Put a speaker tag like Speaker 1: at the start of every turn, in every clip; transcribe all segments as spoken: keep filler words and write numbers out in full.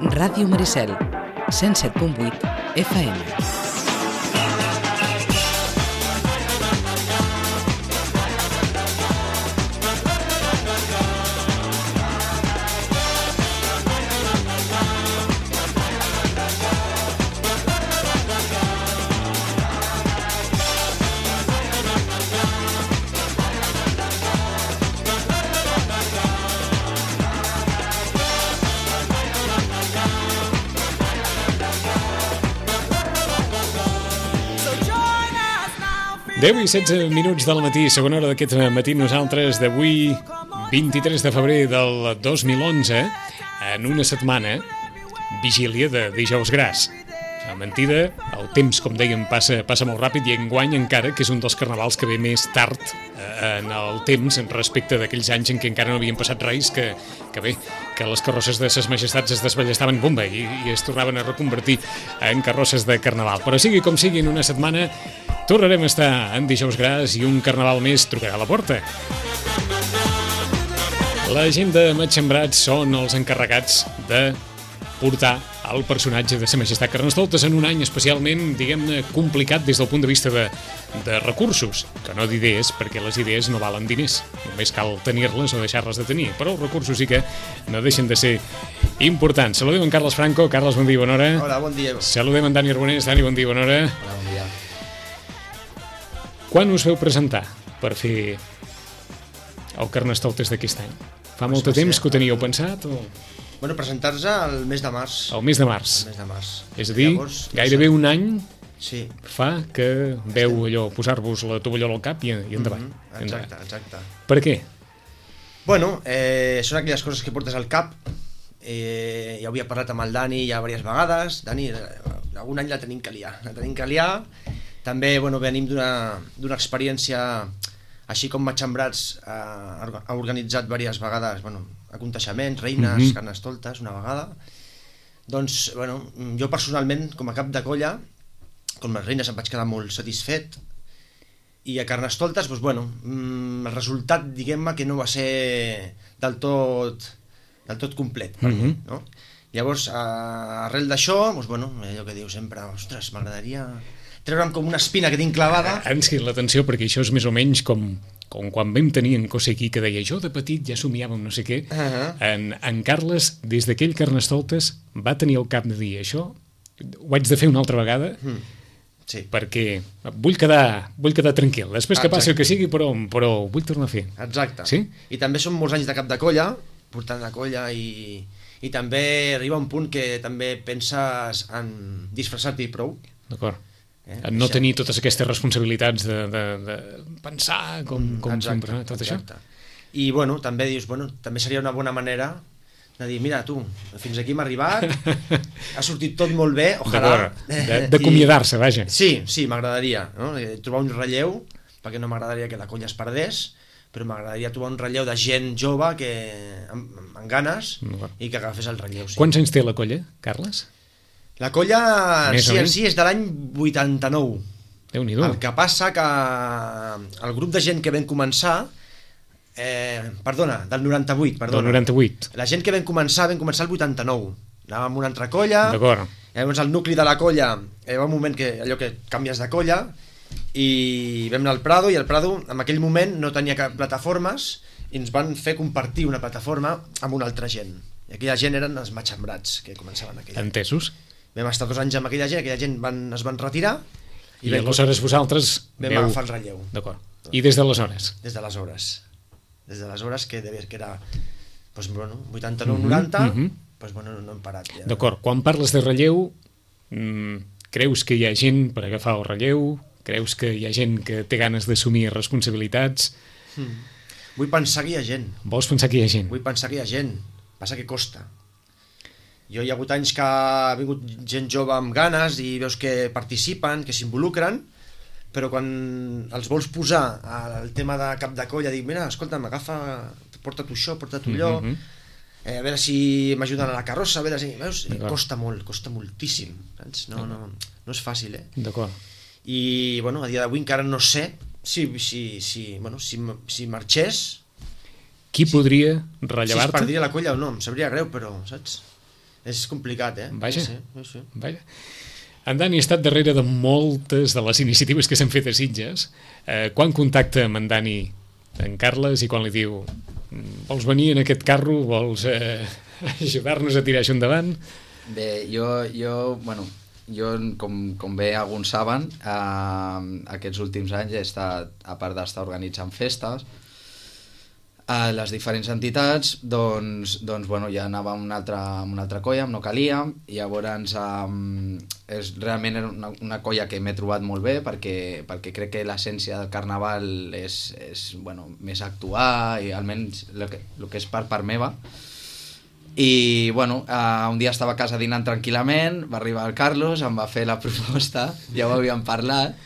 Speaker 1: Ràdio Maricel, cent set punt vuit F M.
Speaker 2: deu i setze minuts del matí, segona hora d'aquest matí, nosaltres d'avui, vint-i-tres de febrer del dos mil onze, en una setmana, vigília de Dijous Gras. A mentida, el temps, com dèiem, passa, passa molt ràpid i enguany encara, que és un dels carnavals que ve més tard eh, en el temps respecte d'aquells anys en què encara no havien passat res, que, que bé, que les carrosses de ses majestats es desballestaven bomba i, i es tornaven a reconvertir en carrosses de carnaval. Però sigui com sigui, en una setmana tornarem a estar en Dijous Gras i un carnaval més trucarà a la porta. La gent de Matxembrats són els encarregats de portar el personatge de Sa Majestat Carnestoltes en un any especialment, diguem-ne, complicat des del punt de vista de, de recursos, que no d'idees, perquè les idees no valen diners, només cal tenir-les o deixar-les de tenir, però els recursos sí que no deixen de ser importants. Saludem en Carles Franco. Carles, bon dia, bona hora.
Speaker 3: Hola, bon dia.
Speaker 2: Saludem en Dani Arbonés. Dani, bon dia, bona hora.
Speaker 3: Hola, bon dia.
Speaker 2: Quan us veu presentar per fer el Carnestoltes d'aquest any? Fa molt de temps que ho teníeu pensat? O...
Speaker 3: Bueno, presentar-se al mes de març.
Speaker 2: El mes de març.
Speaker 3: El mes de març.
Speaker 2: És a dir, Llavors, gairebé un any
Speaker 3: sí.
Speaker 2: fa que veu allò, posar-vos la tovallola al cap i, i endavant.
Speaker 3: Mm-hmm. Exacte, exacte.
Speaker 2: Per què?
Speaker 3: Bueno, eh, són aquelles coses que portes al cap. Eh, ja havia parlat amb el Dani ja diverses vegades. Dani, algun any la tenim que liar. La tenim que liar. També, bueno, venim d'una d'una experiència, així com Matxembrats eh, ha organitzat diverses vegades, bueno, aconteixements, reines, mm-hmm. carnestoltes, una vegada. Doncs, bueno, jo personalment, com a cap de colla, com les reines em vaig quedar molt satisfet, i a carnestoltes, doncs, bueno, el resultat, diguem-me, que no va ser del tot, del tot complet per mm-hmm. mi, no? Llavors, arrel d'això, doncs, bueno, allò que diu sempre, ostres, m'agradaria treure'm com una espina que tinc clavada.
Speaker 2: Ens crida l'atenció perquè això és més o menys com, com quan vam tenir en Cosé aquí, que deia, jo de petit ja somiàvem no sé què. Uh-huh. en, en Carles, des d'aquell Carnestoltes, va tenir el cap de dir això, ho haig de fer una altra vegada, mm. sí. perquè vull quedar, vull quedar tranquil. Després que passi el que sigui, però, però vull tornar a fer.
Speaker 3: Exacte.
Speaker 2: Sí?
Speaker 3: I també són molts anys de cap de colla, portant la colla, i, i també arriba un punt que també penses en disfressar-t'hi prou.
Speaker 2: D'acord. Eh, no tenir totes aquestes responsabilitats de, de, de pensar com, com
Speaker 3: exacte,
Speaker 2: sempre, tot
Speaker 3: exacte.
Speaker 2: això.
Speaker 3: I bueno, també dius, bueno, també seria una bona manera de dir, mira tu, fins aquí hem arribat, ha sortit tot molt bé, ojalà.
Speaker 2: D'acomiadar-se, vaja.
Speaker 3: Sí, sí, m'agradaria, no? Trobar un relleu, perquè no m'agradaria que la colla es perdés, però m'agradaria trobar un relleu de gent jove que amb, amb ganes i que agafés el relleu. Sí.
Speaker 2: Quants anys té la colla, Carles?
Speaker 3: La colla en sí en si és de l'any vuitanta-nou.
Speaker 2: Déu-n'hi-do.
Speaker 3: El que passa que el grup de gent que vam començar, eh, perdona, del noranta-vuit, perdona.
Speaker 2: Del noranta-vuit.
Speaker 3: La gent que vam començar, vam començar el vuitanta-nou. Anàvem amb una altra colla.
Speaker 2: D'acord.
Speaker 3: Llavors el nucli de la colla, hi va un moment que allò que canvies de colla, i vam anar al Prado, i el Prado en aquell moment no tenia cap plataformes, i ens van fer compartir una plataforma amb una altra gent. I aquella gent eren els Matxembrats, que començaven aquella.
Speaker 2: Entesos.
Speaker 3: Vam estar dos anys amb aquella gent, aquella gent van, es van retirar
Speaker 2: i, i aleshores vosaltres
Speaker 3: vam
Speaker 2: veu...
Speaker 3: agafar el relleu.
Speaker 2: D'acord. I des d'aleshores?
Speaker 3: Des d'aleshores. Des d'aleshores que, que era doncs, bueno, vuitanta-nou noranta, mm-hmm. doncs, bueno, no hem parat. Ja.
Speaker 2: D'acord. Quan parles de relleu, mmm, creus que hi ha gent per agafar el relleu? Creus que hi ha gent que té ganes d'assumir responsabilitats?
Speaker 3: Mm. Vull pensar que hi ha gent.
Speaker 2: Vols pensar que hi ha gent?
Speaker 3: Vull pensar que hi ha gent. Passa que costa. Jo hi ha hagut anys que ha vingut gent jove amb ganes i veus que participen, que s'involucren, però quan els vols posar al tema de cap de colla, dic, mira, escolta'm, agafa, porta tu això, porta tu allò, mm-hmm. eh, a veure si m'ajuden a la carrossa, a veure si... Veus? Costa molt, costa moltíssim. Saps? No, no, no és fàcil, eh?
Speaker 2: D'acord.
Speaker 3: I, bueno, a dia d'avui encara no sé si, si, si, bueno, si, si marxés...
Speaker 2: Qui podria rellevar-te?
Speaker 3: Si es perdria la colla o no, em sabria greu, però, saps? És complicat, eh?
Speaker 2: Vaja,
Speaker 3: sí, sí, sí.
Speaker 2: vaja. En Dani ha estat darrere de moltes de les iniciatives que s'han fet a Sitges. Eh, quan contacta amb en Dani en Carles i quan li diu vols venir en aquest carro, vols eh, ajudar-nos a tirar això endavant?
Speaker 4: Bé, jo, jo bueno, jo com, com bé alguns saben, eh, aquests últims anys he estat, a part d'estar organitzant festes, a les diferents entitats, doncs, doncs bueno, ja anava amb una altra, amb una altra colla, amb No Calia, i llavors um, és realment una, una colla que m'he trobat molt bé perquè, perquè crec que l'essència del carnaval és, és bueno, més actuar, i almenys el que, el que és per part meva. I bueno, uh, un dia estava a casa dinant tranquil·lament, va arribar el Carlos, em va fer la proposta, ja ho havíem parlat.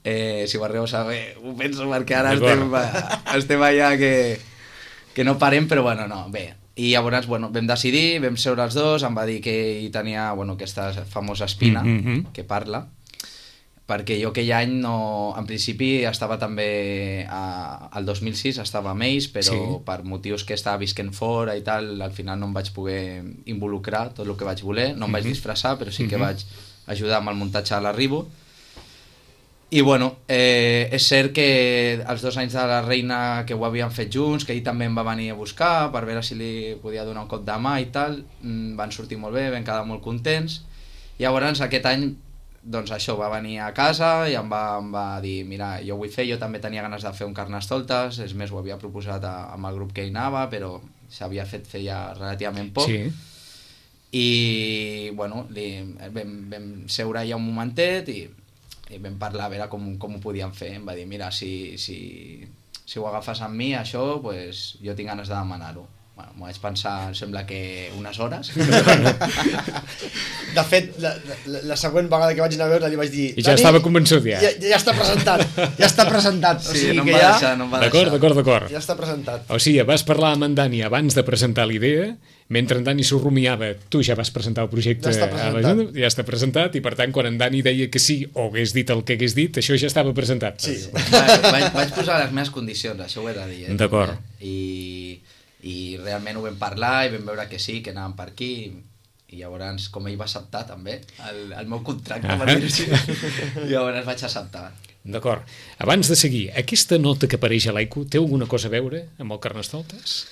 Speaker 4: Eh, si ho arribeu a saber, ho penso perquè ara estem, estem allà que, que no parem, però bueno, no, bé. I llavors, bueno, vam decidir, vam seure els dos, em va dir que hi tenia, bueno, aquesta famosa espina mm -hmm. que parla, perquè jo aquell any, no, en principi estava també, a, al dos mil sis estava amb ells, però sí. Per motius que estava visquent fora i tal, al final no em vaig poder involucrar tot el que vaig voler, no em vaig disfressar, però sí que mm -hmm. vaig ajudar amb el muntatge de l'arribo. I bueno, eh, és cert que els dos anys de la Reina que ho havíem fet junts, que ell també em va venir a buscar per veure si li podia donar un cop de mà i tal, van sortir molt bé, vam quedar molt contents. I llavors aquest any, doncs això, va venir a casa i em va, em va dir, mira, jo ho vull fer, jo també tenia ganes de fer un Carnestoltes, és més, ho havia proposat a, amb el grup que hi anava, però s'havia fet feia relativament poc. Sí. I bueno, li, vam, vam seure ja un momentet i i vam parlar a veure com, com ho podíem fer. Em va dir, mira, si, si, si ho agafes amb mi, això, pues, jo tinc ganes de demanar-ho. Bueno, m'ho vaig pensar, em sembla que unes hores.
Speaker 3: De fet, la, la, la següent vegada que vaig anar a veure li vaig dir...
Speaker 2: I ja estava convençut, ja.
Speaker 3: Ja, ja està presentat, ja està presentat.
Speaker 4: Sí,
Speaker 3: o sigui
Speaker 4: no em
Speaker 3: que
Speaker 4: va
Speaker 3: ja...
Speaker 4: deixar, no em va
Speaker 2: d'acord,
Speaker 4: deixar.
Speaker 2: d'acord, d'acord.
Speaker 3: Ja està presentat.
Speaker 2: O sigui, vas parlar amb en Dani abans de presentar l'idea, mentre en Dani s'ho rumiava, tu ja vas presentar el projecte
Speaker 3: ja
Speaker 2: a la Junta, ja està presentat, i per tant, quan en Dani deia que sí, o hagués dit el que hagués dit, això ja estava presentat.
Speaker 3: Sí.
Speaker 4: Va, vaig, vaig posar les meves condicions, això ho he de dir. Eh?
Speaker 2: D'acord.
Speaker 4: I, I realment ho vam parlar i vam veure que sí, que anàvem per aquí, i llavors, com ell va acceptar també el, el meu contracte, uh -huh. per dir-ho així, llavors vaig acceptar.
Speaker 2: D'acord. Abans de seguir, aquesta nota que apareix a l'A I C U té alguna cosa a veure amb el Carnestoltes?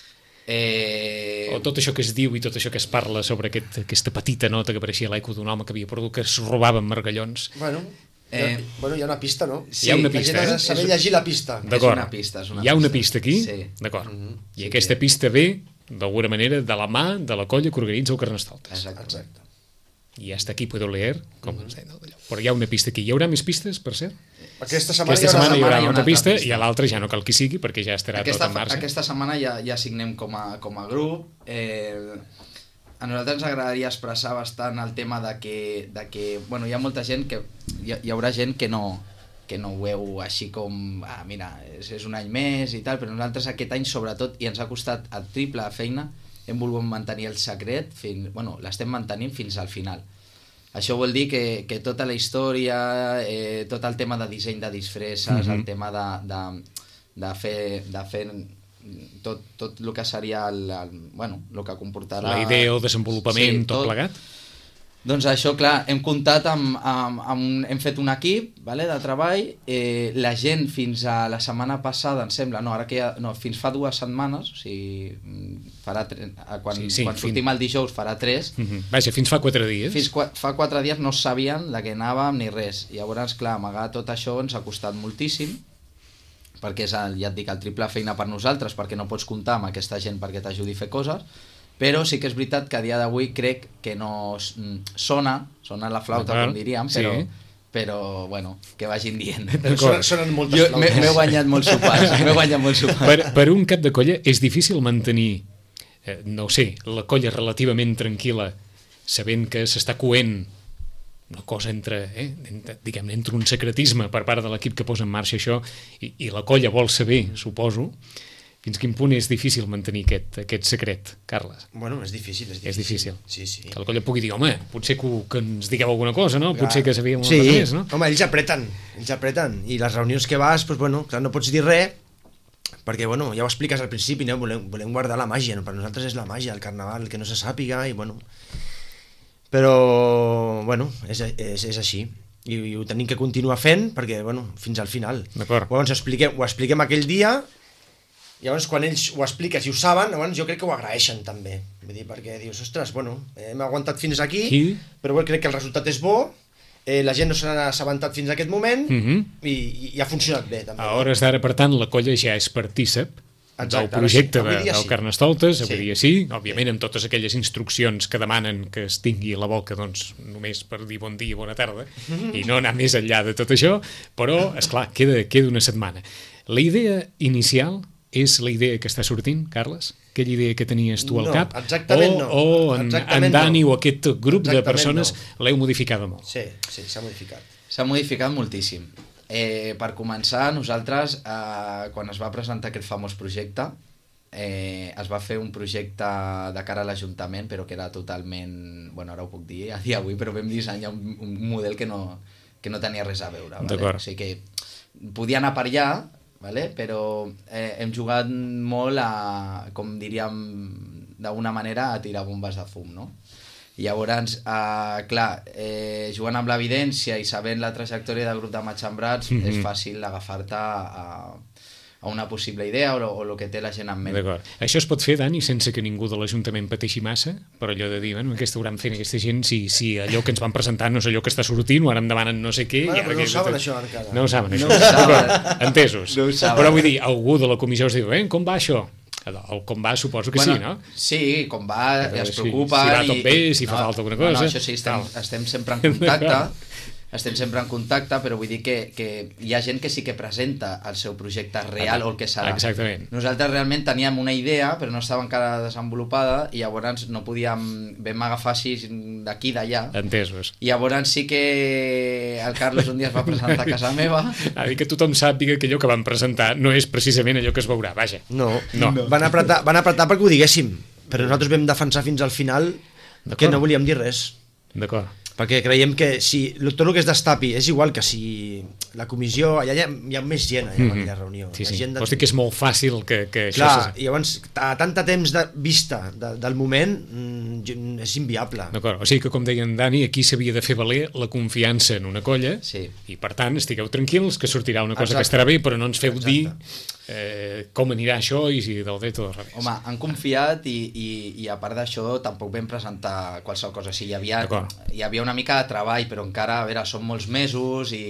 Speaker 4: Eh...
Speaker 2: O tot això que es diu i tot això que es parla sobre aquest, aquesta petita nota que apareixia a l'A I C U d'un home que havia perdut, que es robava amb margallons?
Speaker 3: Bueno, eh... hi ha, bueno, hi ha una pista, no?
Speaker 2: Sí, hi ha una pista,
Speaker 3: la gent ha
Speaker 2: eh?
Speaker 3: de saber llegir la pista.
Speaker 4: És una pista, és una
Speaker 2: hi ha una
Speaker 4: pista,
Speaker 2: pista aquí?
Speaker 4: Sí.
Speaker 2: D'acord. Mm -hmm. I
Speaker 4: sí,
Speaker 2: aquesta
Speaker 4: que...
Speaker 2: pista ve, d'alguna manera, de la mà de la colla que organitza el Carnestoltes.
Speaker 4: Exacte.
Speaker 3: Exacte.
Speaker 2: I hasta aquí puedo leer, com mm -hmm. ens deien d'allò. Però hi ha una pista aquí. Hi haurà més pistes, per cert?
Speaker 3: Aquesta setmana,
Speaker 2: Aquesta setmana hi haurà,
Speaker 4: hi haurà
Speaker 2: una pista,
Speaker 4: pista
Speaker 2: i a l'altra ja no cal que sigui, perquè ja estarà
Speaker 4: aquesta,
Speaker 2: tot en marxa.
Speaker 4: Aquesta setmana ja, ja signem com a, com a grup. Eh, a nosaltres ens agradaria expressar bastant el tema de que, de que bueno, hi ha molta gent que... Hi, hi haurà gent que no, que no ho veu així com... Ah, mira, és, és un any més i tal, però nosaltres aquest any, sobretot, i ens ha costat el triple de feina, hem volgut mantenir el secret, fins, bueno, l'estem mantenint fins al final. Això vol dir que, que tota la història, eh, tot el tema de disseny de disfresses, mm -hmm. el tema de, de, de fer, de fer tot, tot el que seria el, el, bueno, el que comportarà...
Speaker 2: La idea, el desenvolupament, sí, tot, tot plegat?
Speaker 4: Doncs això, clar, hem comptat amb, amb, amb hem fet un equip, vale, de treball, eh, la gent fins a la setmana passada, em sembla, no, ara que ja, no, fins fa dues setmanes, o sigui, farà tre, quan, sí, sí, quan sortim fin... el dijous farà tres.
Speaker 2: Uh -huh. Vaja, fins fa quatre dies.
Speaker 4: Fins qu fa quatre dies no sabien de què anàvem ni res. Llavors, clar, amagar tot això ens ha costat moltíssim, perquè és, el, ja et dic, el triple feina per nosaltres, perquè no pots comptar amb aquesta gent perquè t'ajudi a fer coses, però sí que és veritat que a dia d'avui crec que no sona, sona la flauta, com diríem, però, sí. però bueno, que vagin dient.
Speaker 3: Sonen, sonen moltes flautes.
Speaker 4: M'he guanyat molts sopars, m'he guanyat molts sopars.
Speaker 2: Per, per un cap de colla és difícil mantenir, eh, no ho sé, la colla relativament tranquil·la, sabent que s'està coent una cosa entre, eh, entre, diguem, entre un secretisme per part de l'equip que posa en marxa això i, i la colla vol saber, suposo. Fins quin punt és difícil mantenir aquest, aquest secret, Carles?
Speaker 3: Bueno, és difícil, és difícil.
Speaker 2: És difícil.
Speaker 3: Sí, sí.
Speaker 2: Que la colla pugui dir, home, potser que, que ens digueu alguna cosa, no? Potser que sabíem una
Speaker 3: sí.
Speaker 2: cosa més, no?
Speaker 3: Home, ells apreten, ells apreten. I les reunions que vas, doncs, bueno, clar, no pots dir res, perquè bueno, ja ho expliques al principi, no? volem, volem guardar la màgia, no? Per nosaltres és la màgia, el carnaval, el que no se sàpiga, i bueno... Però, bueno, és, és, és així, i, i ho tenim que continuar fent, perquè, bueno, fins al final.
Speaker 2: D'acord.
Speaker 3: Llavors ho expliquem, ho expliquem aquell dia, i llavors quan ells ho expliques i ho saben, llavors jo crec que ho agraeixen també, vull dir, perquè dius, ostres, bueno, hem aguantat fins aquí,
Speaker 2: sí.
Speaker 3: però bueno, crec que el resultat és bo, eh, la gent no se n'ha assabentat fins a aquest moment,
Speaker 2: uh-huh.
Speaker 3: i, i ha funcionat bé també.
Speaker 2: A hores d'ara, per tant, la colla ja és partícip del projecte de, del Carnestoltes, avui dia sí, òbviament amb totes aquelles instruccions que demanen que es tingui a la boca, doncs només per dir bon dia, bona tarda, i no anar més enllà de tot això, però, esclar, queda, queda una setmana. La idea inicial és la idea que està sortint, Carles? Aquella idea que tenies tu al
Speaker 3: no,
Speaker 2: cap?
Speaker 3: Exactament
Speaker 2: o,
Speaker 3: no.
Speaker 2: O en,
Speaker 3: exactament
Speaker 2: en Dani
Speaker 3: no.
Speaker 2: o aquest grup
Speaker 3: exactament
Speaker 2: de persones
Speaker 3: no.
Speaker 2: l'heu modificada molt?
Speaker 3: Sí, sí, s'ha modificat.
Speaker 4: S'ha modificat moltíssim. Eh, per començar, nosaltres, eh, quan es va presentar aquest famós projecte, eh, es va fer un projecte de cara a l'Ajuntament, però que era totalment... Bueno, ara ho puc dir a dia d'avui, però vam dissenyar un, un model que no, que no tenia res a veure. Vale? O sigui que podia anar per allà, vale? Però eh, hem jugat molt a, com diríem d'alguna manera, a tirar bombes de fum, no? I llavors, eh, clar, eh, jugant amb l'evidència i sabent la trajectòria del grup de Matxembrats, mm-hmm. és fàcil agafar-te a, a una possible idea o, o el que té la gent en ment.
Speaker 2: D'acord. Això es pot fer, Dani, sense que ningú de l'Ajuntament pateixi massa, per allò de dir, bueno, què estaran fent aquesta gent si, si allò que ens van presentar no és allò que està sortint o ara em demanen no sé què...
Speaker 3: Bueno,
Speaker 2: i ara
Speaker 3: però no
Speaker 2: que...
Speaker 3: ho saben això encara.
Speaker 2: No ho saben, això.
Speaker 4: No ho saben.
Speaker 2: Entesos.
Speaker 4: No ho saben.
Speaker 2: Però vull dir, algú de la comissió us diu, eh, com va això? El com va suposo que
Speaker 4: bueno,
Speaker 2: sí, no?
Speaker 4: Sí, com va,
Speaker 2: Però
Speaker 4: es
Speaker 2: si,
Speaker 4: preocupa...
Speaker 2: si va tot
Speaker 4: i,
Speaker 2: bé, si no, fa falta alguna cosa...
Speaker 4: No, no, això sí, estem, estem sempre en contacte, estem sempre en contacte, però vull dir que, que hi ha gent que sí que presenta el seu projecte real o el que serà.
Speaker 2: Exactament.
Speaker 4: Nosaltres realment teníem una idea, però no estava encara desenvolupada, i llavors no podíem... Vam agafar així d'aquí d'allà.
Speaker 2: Entesos.
Speaker 4: I llavors sí que el Carlos un dia es va presentar a casa meva.
Speaker 2: A dir que tothom sàpiga que allò que van presentar no és precisament allò que es veurà, vaja.
Speaker 3: No,
Speaker 2: no.
Speaker 3: no. Van, apretar, van apretar perquè ho diguéssim, però nosaltres vam defensar fins al final que no volíem dir res.
Speaker 2: D'acord.
Speaker 3: Perquè creiem que si tot el que es destapi és igual que si la comissió, allà hi ha, hi ha més gent allà en aquella reunió.
Speaker 2: Sí, sí.
Speaker 3: Gent de...
Speaker 2: Vols dir que és molt fàcil que, que
Speaker 3: Clar,
Speaker 2: això...
Speaker 3: i llavors, a tanta temps de vista de, del moment, mm, és inviable.
Speaker 2: D'acord, o sigui que com deia en Dani, aquí s'havia de fer valer la confiança en una colla,
Speaker 4: sí.
Speaker 2: I per tant estigueu tranquils que sortirà una cosa
Speaker 3: Exacte.
Speaker 2: que estarà bé, però no ens feu
Speaker 3: Exacte.
Speaker 2: dir eh, com anirà això i si del dret o del revés.
Speaker 4: Home, han confiat i, i, i a part d'això tampoc vam presentar qualsevol cosa. O sigui, hi havia, hi havia una mica de treball, però encara, a veure, són molts mesos i,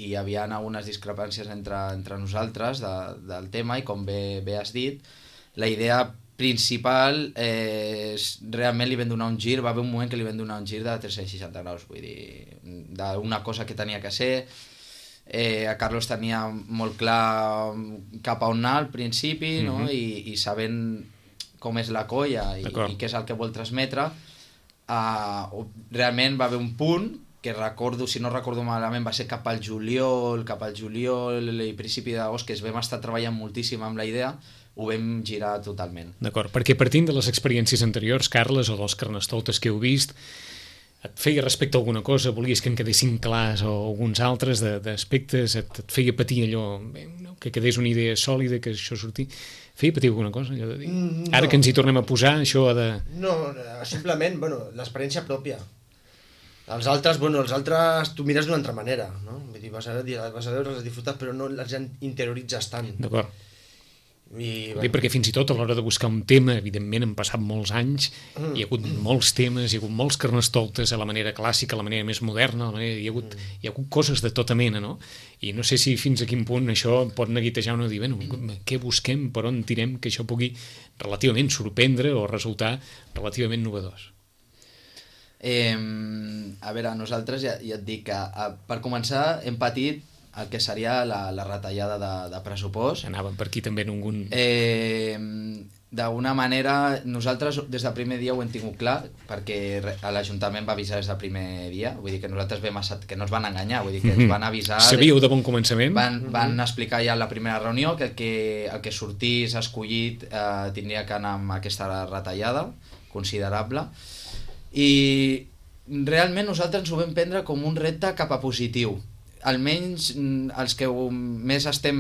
Speaker 4: i hi havia algunes discrepàncies entre, entre nosaltres de, del tema, i com bé, bé has dit, la idea principal eh, és, realment li vam donar un gir, va haver un moment que li vam donar un gir de tres-cents seixanta graus, vull dir, d'una cosa que tenia que ser. Eh, a Carlos tenia molt clar cap a on anar al principi, no?
Speaker 2: Mm-hmm.
Speaker 4: I, i sabent com és la colla i, i què és el que vol transmetre, uh, realment va haver un punt que recordo, si no recordo malament, va ser cap al juliol, cap al juliol i principi d'agost, que es vam estar treballant moltíssim amb la idea, ho vam girar totalment.
Speaker 2: D'acord, perquè partint de les experiències anteriors, Carles, o dels carnestoltes que heu vist, et feia respecte a alguna cosa, volies que en quedessin clars o alguns altres d'aspectes, et, et feia patir allò, bé, no, que quedés una idea sòlida, que això sortís, feia patir alguna cosa, allò de dir?
Speaker 3: Mm, no.
Speaker 2: Ara que ens hi tornem a posar, això ha de...
Speaker 3: No, simplement, bueno, l'experiència pròpia. Els altres, bueno, els altres tu mires d'una altra manera, no? Vull dir, vas a, vas a veure, les disfrutes, però no les interioritzes tant.
Speaker 2: D'acord.
Speaker 3: I,
Speaker 2: Bé, perquè fins i tot a l'hora de buscar un tema, evidentment han passat molts anys, mm. hi ha hagut molts temes, hi ha hagut molts carnestoltes a la manera clàssica, a la manera més moderna, a la manera, hi, ha hagut, mm. hi ha hagut coses de tota mena, no? I no sé si fins a quin punt això pot neguitejar o no, dir, bueno, què busquem, per on tirem, que això pugui relativament sorprendre o resultar relativament novedós.
Speaker 4: Eh, a veure, nosaltres ja, ja et dic que a, per començar hem patit el que seria la, la retallada de, de pressupost.
Speaker 2: Anàvem per aquí també en algun...
Speaker 4: Eh, D'alguna manera, nosaltres des del primer dia ho hem tingut clar, perquè l'Ajuntament va avisar des del primer dia, vull dir que nosaltres vam assat, que no ens van enganyar, vull dir que ens van avisar...
Speaker 2: Sabíeu de bon començament?
Speaker 4: Van, van explicar ja en la primera reunió que el que, el que sortís escollit eh, tindria que anar amb aquesta retallada considerable, i realment nosaltres ens ho vam prendre com un repte cap a positiu. almenys els que més estem,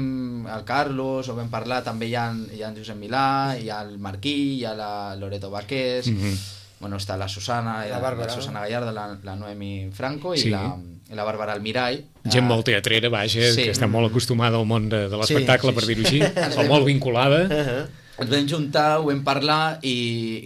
Speaker 4: el Carlos, o vam parlar, també hi ha, hi ha en Josep Milà, hi ha el Marquí, hi ha la Loreto Baqués, mm-hmm. bueno, està la Susana,
Speaker 3: la, Bàrbara.
Speaker 4: la Susana Gallardo, la, la Noemi Franco i,
Speaker 2: sí.
Speaker 4: la, i la Bàrbara Almirall.
Speaker 2: Gent molt teatrera, vaja, sí. que està molt acostumada al món de, de l'espectacle, sí, sí, per dir-ho així, o molt vinculada.
Speaker 4: Uh-huh. Ens vam juntar, ho vam parlar i,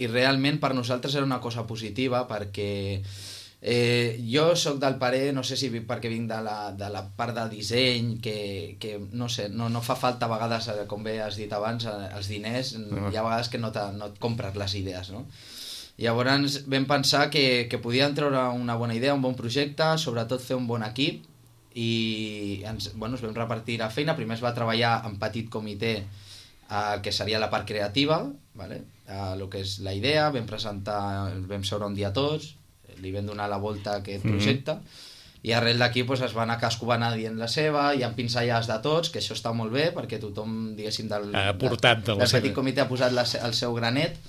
Speaker 4: i realment per nosaltres era una cosa positiva perquè eh, jo sóc del parer, no sé si perquè vinc de la, de la part del disseny, que, que no sé, no, no fa falta a vegades, com bé has dit abans, els diners, uh-huh. hi ha vegades que no, no et compres les idees, no? Llavors vam pensar que, que podíem treure una bona idea, un bon projecte, sobretot fer un bon equip i ens, bueno, ens vam repartir la feina. Primer es va treballar en petit comitè, Uh, que seria la part creativa, vale? uh, el que és la idea, vam presentar, vam seure un dia tots, li vam donar la volta a aquest projecte, mm-hmm. i arrel d'aquí pues, es va anar, cadascú va anar dient la seva, hi ha pinzellades de tots, que això està molt bé, perquè tothom, diguéssim, del,
Speaker 2: ha portat de
Speaker 4: del, del petit comitè ha posat la, el seu granet,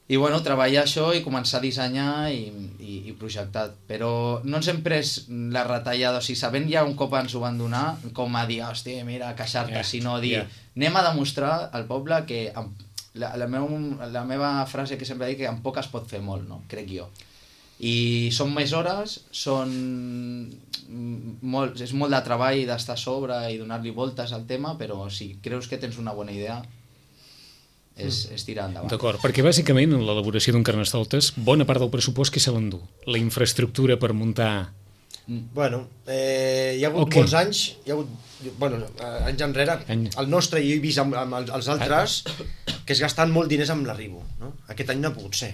Speaker 4: i bueno, treballar això i començar a dissenyar i, i, i projectar, però no ens hem pres la retallada, o sigui, sabent ja un cop ens ho van donar, com a dir, hòstia, mira, queixar-te, yeah, sinó dir, yeah. anem a demostrar al poble que amb, la, la, meu, la meva frase que sempre dic que amb poc es pot fer molt, no? Crec jo. I són més hores, són molt, és molt de treball d'estar a sobre i donar-li voltes al tema, però si creus que tens una bona idea, és, és tirar endavant.
Speaker 2: D'acord, perquè bàsicament en l'elaboració d'un Carnestoltes bona part del pressupost que se l'endú, la infraestructura per muntar...
Speaker 3: Bueno, eh, hi ha hagut okay. molts anys, hi ha hagut, bueno, anys enrere, Any... el nostre, i he vist amb, amb els altres, que es gasten molt diners amb l'arribo, no? Aquest any no ha pogut ser.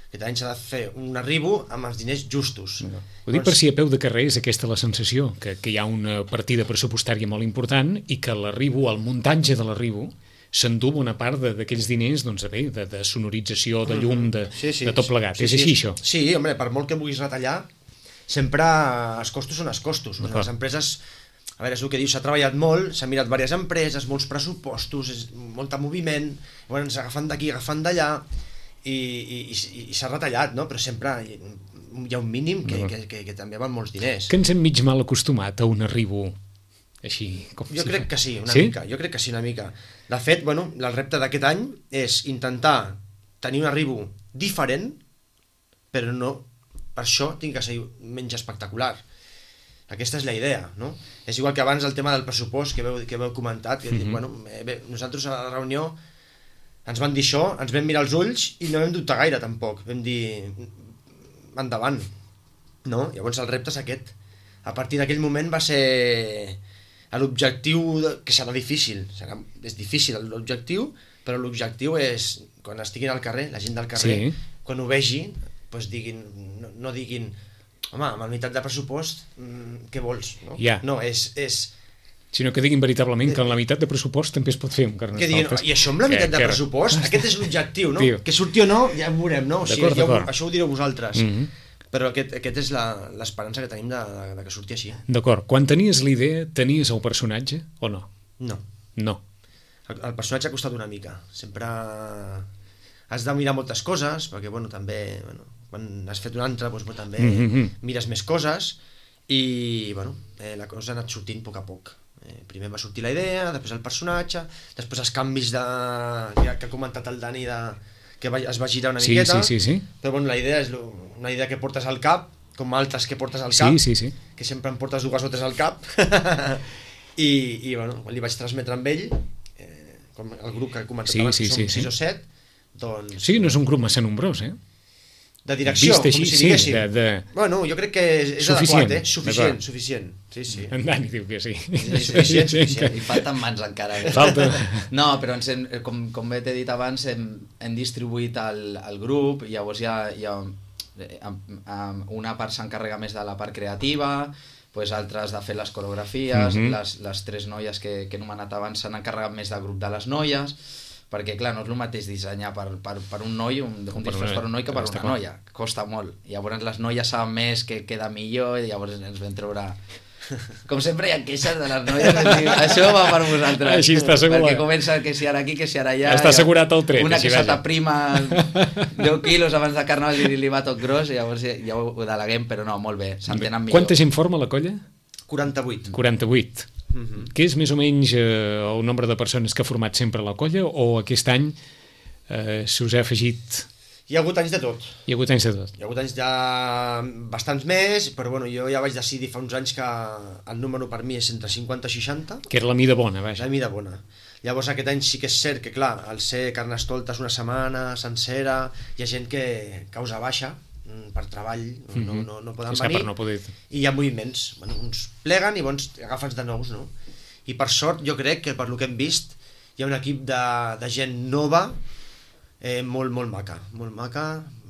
Speaker 3: Aquest any s'ha de fer un arribo amb els diners justos.
Speaker 2: No. Ho dic per si a peu de carrer és aquesta la sensació, que, que hi ha una partida pressupostària molt important i que l'arribo, el muntatge de l'arribo, s'endú una part d'aquells diners, doncs, bé, de, de sonorització, de llum, de, sí, sí, de tot plegat.
Speaker 3: Sí,
Speaker 2: és
Speaker 3: sí,
Speaker 2: així, això?
Speaker 3: Sí, home, per molt que vulguis retallar, sempre els costos són els costos. O sigui, les empreses, a veure, és el que dius, s'ha treballat molt, s'han mirat diverses empreses, molts pressupostos, és molt moviment, llavors agafant d'aquí, agafant d'allà, i, i, i, i s'ha retallat, no? Però sempre hi ha un mínim que, que, que, que també van molts diners.
Speaker 2: Que ens hem mig mal acostumat a un arribo així? Com
Speaker 3: jo
Speaker 2: si
Speaker 3: crec
Speaker 2: fa...
Speaker 3: que sí, una
Speaker 2: sí?
Speaker 3: mica, jo crec que sí, una mica. De fet, bueno, el repte d'aquest any és intentar tenir un arribo diferent, però no, per això tinc que ser menys espectacular. Aquesta és la idea, no? És igual que abans el tema del pressupost que veu, que veu comentat, que mm-hmm. dic, bueno, bé, nosaltres a la reunió ens van dir això, ens vam mirar els ulls i no vam dubtar gaire tampoc, vam dir endavant, no? Llavors el repte és aquest. A partir d'aquell moment va ser l'objectiu, que serà difícil, serà, és difícil l'objectiu, però l'objectiu és, quan estiguin al carrer, la gent del carrer, sí. quan ho vegi, doncs diguin, no, no diguin, home, amb la meitat de pressupost, mmm, què vols? No,
Speaker 2: yeah.
Speaker 3: no és, és...
Speaker 2: Sinó que diguin veritablement que amb la meitat de pressupost també es pot fer un Carnestoltes.
Speaker 3: I això amb la meitat que, de que... pressupost, aquest és l'objectiu, no? Tio. Que surti o no, ja ho veurem, no? O sigui, ja ho, això ho direu vosaltres. Mm-hmm. Però aquest, aquest és l'esperança que tenim de, de, de que surti així.
Speaker 2: D'acord. Quan tenies la idea, tenies el personatge o no?
Speaker 3: No.
Speaker 2: No.
Speaker 3: El, el personatge ha costat una mica. Sempre has de mirar moltes coses, perquè bueno, també bueno, quan has fet un altre doncs, bueno, també mm-hmm. mires més coses i bueno, eh, la cosa ha anat sortint a poc a poc. Eh, primer va sortir la idea, després el personatge, després els canvis de, que, que ha comentat el Dani de... que es va girar una
Speaker 2: sí,
Speaker 3: miqueta,
Speaker 2: sí, sí, sí.
Speaker 3: però bueno, la idea és una idea que portes al cap, com altres que portes al cap,
Speaker 2: sí, sí, sí.
Speaker 3: que sempre em portes dues o tres al cap, i, i bueno, quan li vaig transmetre amb ell, eh, com el grup que he comentat
Speaker 2: sí,
Speaker 3: abans,
Speaker 2: sí,
Speaker 3: que som
Speaker 2: sí,
Speaker 3: sis
Speaker 2: sí.
Speaker 3: o set, doncs...
Speaker 2: Sí, no és un grup massa nombrós, eh?
Speaker 3: De direcció,
Speaker 2: vist així,
Speaker 3: com si
Speaker 2: sí,
Speaker 3: diguéssim.
Speaker 2: De, de...
Speaker 3: Bueno, jo crec que és, és
Speaker 2: suficient,
Speaker 3: adequat, eh? Suficient, suficient. Sí, sí.
Speaker 2: En Dani diu que sí.
Speaker 3: Sí, suficient, suficient.
Speaker 4: I falten mans encara. Eh?
Speaker 2: Falta.
Speaker 4: No, però ens hem, com, com bé t'he dit abans, hem, hem distribuït el, el grup, llavors hi ha, hi ha una part s'encarrega més de la part creativa, pues altres de fer les coreografies, mm-hmm. les, les tres noies que, que he anomenat abans s'han encarregat més del grup de les noies, perquè clar, no és el mateix dissenyar per, per, per un noi, un, un disfraç per un noi que per una noia, costa molt. Llavors les noies saben més que queda millor i llavors ens vam treure... Com sempre hi ha queixes de les noies, dir, això va per vosaltres.
Speaker 2: Així està assegurat.
Speaker 4: Perquè comença que si ara aquí, que si ara allà...
Speaker 2: Està assegurat el tret.
Speaker 4: Una que se t'aprima deu quilos abans de carnaval i li va tot gros i llavors ja ho deleguem, però no, molt bé, s'entenen millor.
Speaker 2: Quanta gent forma la colla?
Speaker 3: quaranta-vuit.
Speaker 2: quaranta-vuit. Uh-huh. Què és més o menys eh, el nombre de persones que ha format sempre la colla, o aquest any eh, se us ha afegit...
Speaker 3: Hi ha hagut anys de tot.
Speaker 2: Hi ha hagut anys de tot.
Speaker 3: Hi ha hagut anys ja bastants més, però bueno, jo ja vaig decidir fa uns anys que el número per mi és entre cinquanta i seixanta.
Speaker 2: Que era la mida bona,
Speaker 3: És
Speaker 2: vaja.
Speaker 3: la mida bona. Llavors aquest any sí que és cert que, clar, al ser Carnestoltes una setmana sencera, hi ha gent que causa baixa per treball, no, no, no, no poden
Speaker 2: És que
Speaker 3: venir,
Speaker 2: per no poder...
Speaker 3: i hi ha moviments. Bueno, uns pleguen i bons agafen de nous, no? I per sort jo crec que per lo que hem vist hi ha un equip de, de gent nova eh, molt, molt maca, molt maca.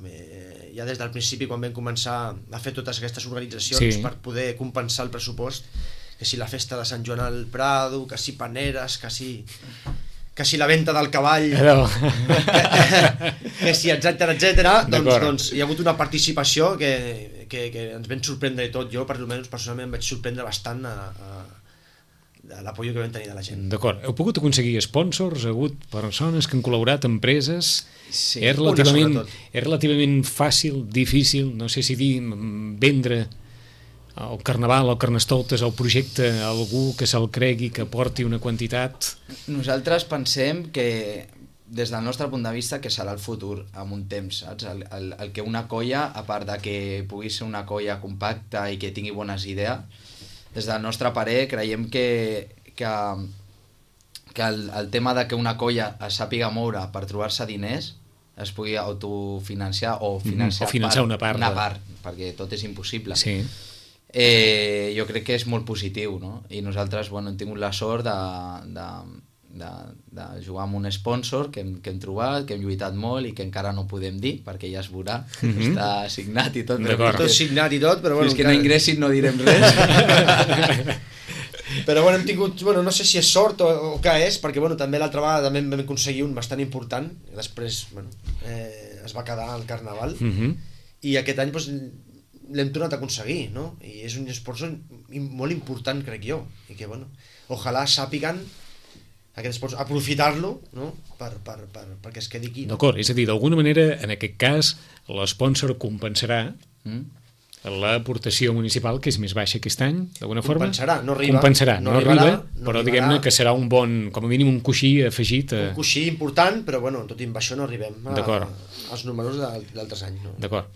Speaker 3: Eh, ja des del principi, quan vam començar a fer totes aquestes organitzacions
Speaker 2: Sí.
Speaker 3: per poder compensar el pressupost, que si la festa de Sant Joan al Prado, que si paneres, que si, que si la venta del cavall,
Speaker 2: No.
Speaker 3: que si etcètera, etcètera, doncs,
Speaker 2: D'acord.
Speaker 3: doncs hi ha hagut una participació que, que, que ens vam sorprendre i tot. Jo, per almenys, personalment, em vaig sorprendre bastant a, a, de l'apoyo que vam tenir de la gent.
Speaker 2: D'acord. Heu pogut aconseguir sponsors? Ha hagut persones que han col·laborat, empreses?
Speaker 4: Sí,
Speaker 2: és, relativament,
Speaker 3: una sobretot.
Speaker 2: és relativament fàcil, difícil, no sé si dir, mm, vendre el Carnaval, el Carnestoltes, el projecte a algú que se'l cregui, que porti una quantitat...
Speaker 4: Nosaltres pensem que, des del nostre punt de vista, que serà el futur amb un temps, saps? El, el, el que una colla, a part de que pugui ser una colla compacta i que tingui bones idees, des del nostre parer creiem que, que, que el, el tema de que una colla es sàpiga moure per trobar-se diners es pugui autofinanciar o financiar,
Speaker 2: o finançar una part
Speaker 4: una
Speaker 2: de-
Speaker 4: part, perquè tot és impossible.
Speaker 2: Sí.
Speaker 4: Eh, jo crec que és molt positiu, no? I nosaltres, bueno, hem tingut la sort de, de, de, de jugar amb un sponsor que hem, que hem trobat, que hem lluitat molt i que encara no podem dir, perquè ja es veurà,
Speaker 2: Mhm.
Speaker 4: està signat i tot. però
Speaker 2: D'acord.
Speaker 3: Tot signat i tot, però bueno...
Speaker 4: Fins que no
Speaker 3: encara-
Speaker 4: ingressin no direm res.
Speaker 3: Però bueno, hem tingut, bueno, no sé si és sort o, o què és, perquè bueno, també l'altra vegada també vam aconseguir un bastant important, i després bueno, eh, es va quedar al Carnaval,
Speaker 2: Uh -huh.
Speaker 3: i aquest any doncs, l'hem tornat a aconseguir, no? I és un esport molt important, crec jo, i que bueno, ojalà sàpiguen aquest esport, aprofitar-lo, no? Per, per, per, perquè es quedi aquí. No?
Speaker 2: D'acord, és a dir, d'alguna manera, en aquest cas, l'esponsor compensarà
Speaker 4: Mm?
Speaker 2: l'aportació municipal, que és més baixa aquest any, d'alguna forma?
Speaker 3: Compensarà, no arriba.
Speaker 2: Compensarà, no,
Speaker 3: no
Speaker 2: arriba,
Speaker 3: arribarà, no
Speaker 2: però
Speaker 3: arribarà.
Speaker 2: diguem-ne que serà un bon, com a mínim un coixí afegit. A...
Speaker 3: Un coixí important, però bueno, tot i amb això no arribem a,
Speaker 2: D'acord.
Speaker 3: als números de- d'altres anys. No?
Speaker 2: D'acord.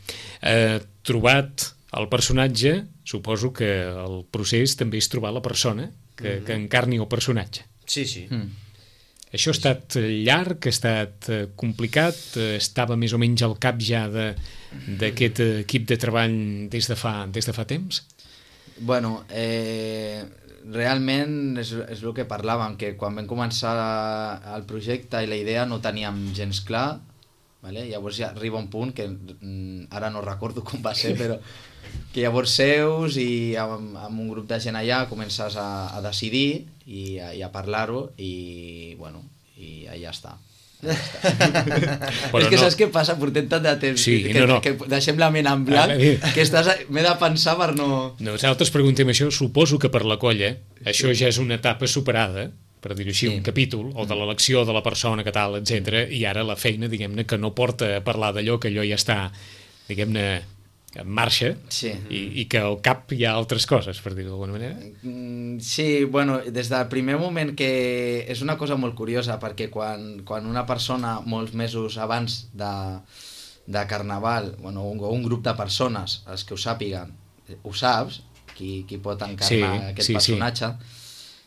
Speaker 2: Eh, trobat el personatge, suposo que el procés també és trobar la persona que, que encarni el personatge.
Speaker 3: Sí, sí.
Speaker 4: Mm.
Speaker 2: Això ha estat llarg, ha estat eh, complicat, eh, estava més o menys al cap ja de- d'aquest equip de treball des de fa, des de fa temps?
Speaker 4: Bueno, eh, realment és, és el que parlàvem, que quan vam començar el projecte i la idea no teníem gens clar, vale? Llavors ja arriba un punt que mm, ara no recordo com va ser, però que llavors seus i amb, amb un grup de gent allà comences a, a decidir i a, i a parlar-ho i bueno, i ja està. Ja està.
Speaker 2: Però
Speaker 4: és que
Speaker 2: no-
Speaker 4: saps què passa? Portem tant de temps
Speaker 2: Sí,
Speaker 4: que,
Speaker 2: no, no.
Speaker 4: que deixem la ment en blanc
Speaker 2: A veure.
Speaker 4: que estàs, m'he de pensar per no...
Speaker 2: Nosaltres preguntem això, suposo que per la colla això ja és una etapa superada, per dir-ho així,
Speaker 4: Sí.
Speaker 2: un capítol, o de l'elecció de la persona que tal, etcètera, i ara la feina, diguem-ne, que no porta a parlar d'allò, que allò ja està, diguem-ne, en marxa,
Speaker 4: Sí.
Speaker 2: i, i que al cap hi ha altres coses, per dir-ho d'alguna manera.
Speaker 4: Mm, Sí, bueno, des del primer moment que és una cosa molt curiosa perquè quan, quan una persona molts mesos abans de, de Carnaval, bueno, un, un grup de persones, els que ho sàpiguen, eh, ho saps, qui, qui pot encarnar
Speaker 2: Sí,
Speaker 4: aquest
Speaker 2: sí, sí.
Speaker 4: personatge,